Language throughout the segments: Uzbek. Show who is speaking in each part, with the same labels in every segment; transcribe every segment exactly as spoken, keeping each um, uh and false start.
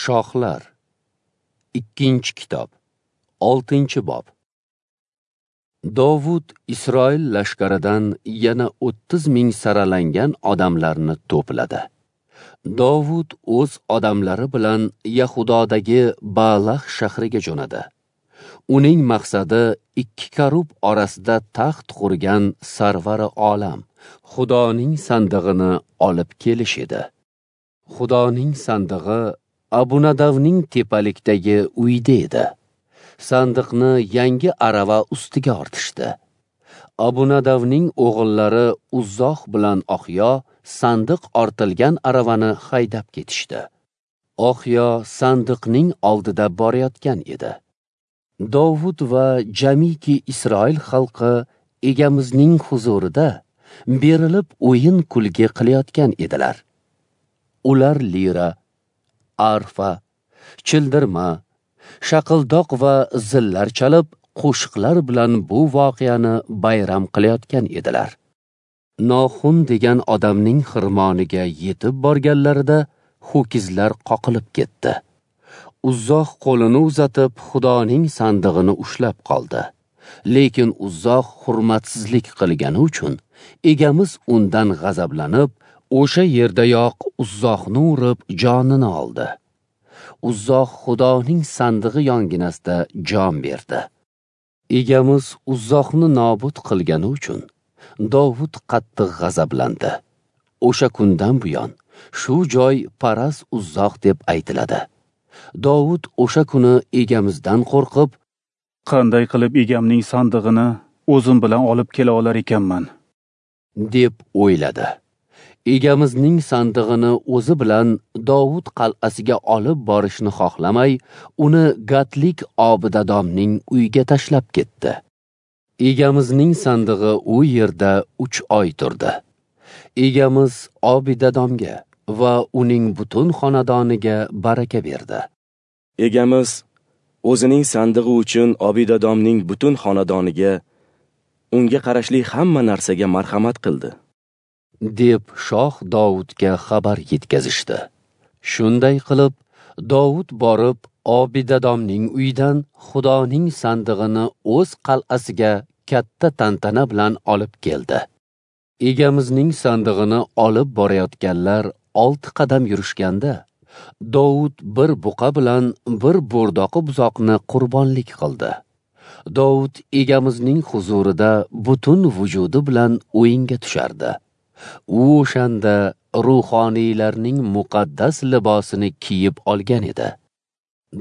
Speaker 1: Shohlar. Ikkinchi kitob, oltinchi bob. Dovud Isroil lashkaridan yana o'ttiz ming saralangan odamlarni to'pladi. Dovud o'z odamlari bilan Yahudodagi Baalah shahriga jo'nadi. Uning maqsadi ikki karub orasida taxt qurgan Sarvari olam, Xudoning sandig'ini olib kelish edi. Xudoning sandig'i Abunadavning tepalikdagi uyida edi. Sandiqni yangi arava ustiga ortishdi. Abunadavning o'g'illari Uzzoh bilan Oxyo sandiq ortilgan aravani haydab ketishdi. Oxyo sandiqning oldida borayotgan edi. Dovud va jamiki Isroil xalqi Egamizning huzurida berilib o'yin kulgi qilayotgan edilar. Ular lira, arfa, childirma, shaqildoq va zillar chalib, qo'shiqlar bilan bu voqeani bayram qilayotgan edilar. Noxun degan odamning xirmoniga yetib borganlarida ho'kizlar qoqilib ketdi. Uzzoh qo'lini uzatib, Xudoning sandig'ini ushlab qoldi. Lekin Uzzoh hurmatsizlik qilgani uchun Egamiz undan g'azablanib, o'sha yerdayoq Uzzohni urib jonini oldi. Uzzoh Xudoning sandig'i yonginasida jon berdi. Egamiz Uzzohni nobud qilgani uchun Dovud qattiq g'azablandi. O'sha kundan buyon shu joy Paras Uzzoh deb aytiladi. Dovud o'sha kuni Egamizdan qo'rqib,
Speaker 2: qanday qilib egamning sandig'ini o'zim bilan olib kela olar ekanman,
Speaker 1: deb o'yladi. Egamizning sandig'ini o'zi bilan Dovud qal'asiga olib borishni xohlamay, uni Gatlik Obidadomning uyiga tashlab ketdi. Egamizning sandig'i u yerda uch oy turdi. Egamiz Obidadomga va uning butun xonadoniga baraka berdi.
Speaker 3: Egamiz o'zining sandig'i uchun Obidadomning butun xonadoniga, unga qarashli hamma narsaga marhamat qildi,
Speaker 1: deb shoh Dovudga xabar yetkazishdi. Shunday qilib, Dovud borib Obidadomning uyidan Xudoning sandig'ini o'z qal'asiga katta tantana bilan olib keldi. Egamizning sandig'ini olib borayotganlar olti qadam yurishganda, Dovud bir buqa bilan bir bo'rdoqi buzoqni qurbonlik qildi. Dovud Egamizning huzurida butun vujudi bilan o'yinga tushardi. U o'shanda ruhoniylarning muqaddas libosini kiyib olgan edi.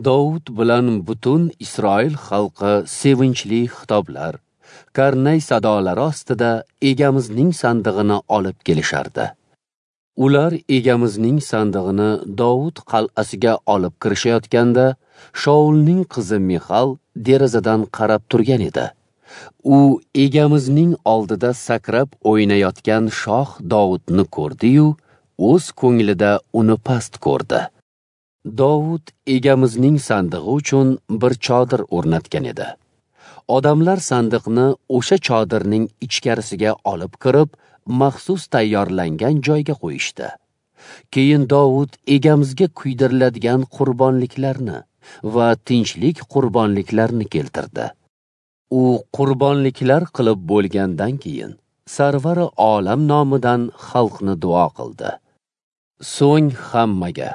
Speaker 1: Dovud bilan butun Isroil xalqi sevinchli xitoblar, karnay sadolari ostida Egamizning sandig'ini olib kelishardi. Ular Egamizning sandig'ini Dovud qal'asiga olib kirishayotganda, Shaulning qizi Mixal derazadan qarab turgan edi. U Egamizning oldida sakrab o'ynayotgan shoh Dovudni ko'rdi-yu, o'z ko'nglida uni past ko'rdi. Dovud Egamizning sandig'i uchun bir chodir o'rnatgan edi. Odamlar sandiqni o'sha chodirning ichkarisiga olib kirib, maxsus tayyorlangan joyga qo'yishdi. Keyin Dovud Egamizga kuydiriladigan qurbonliklarni va tinchlik qurbonliklarini keltirdi. U qurbonliklar qilib bo'lgandan keyin Sarvari olam nomidan xalqni duo qildi. So'ng hammaga,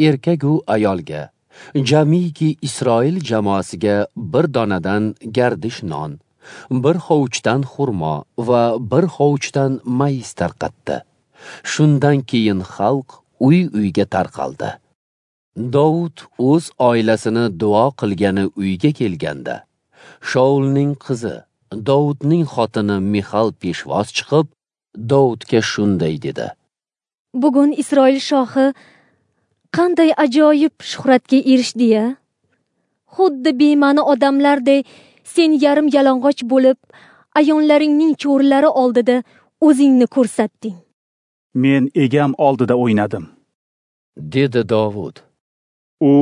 Speaker 1: erkak u ayolga, jamiki Isroil jamoasiga bir donadan gardish non, bir hovuchdan xurmo va bir hovuchdan mayiz tarqatdi. Shundan keyin xalq uy-uyga tarqaldi. Dovud o'z oilasini duo qilgani uyga kelganda, Shaulning qizi, Dovudning xotini Mixal peshvoz chiqib, Dovudga shunday dedi:
Speaker 4: Bugun Isroil shohi qanday ajoyib shuhratga erishdi-ya! Xuddi bema'ni odamlarday sen yarim yalang'och bo'lib, ayonlaringning cho'rilari oldida o'zingni ko'rsatding.
Speaker 2: Men egam oldida o'ynadim,
Speaker 1: dedi Dovud.
Speaker 2: U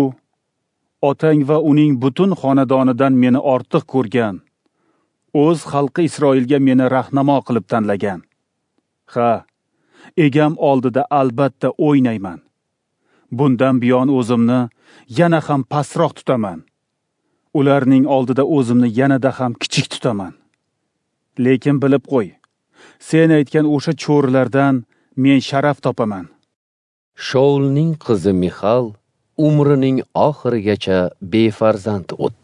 Speaker 2: otang va uning butun xonadonidan meni ortiq ko'rgan, o'z xalqi Isroilga meni rahnamo qilib tanlagan. Ha, egam oldida albatta o'ynayman. Bundan buyon o'zimni yana ham pastroq tutaman. Ularning oldida o'zimni yanada ham kichik tutaman. Lekin bilib qo'y, sen aytgan o'sha cho'rilardan men sharaf topaman.
Speaker 1: Shaulning qizi Mixal umrining oxirigacha befarzand o'tdi.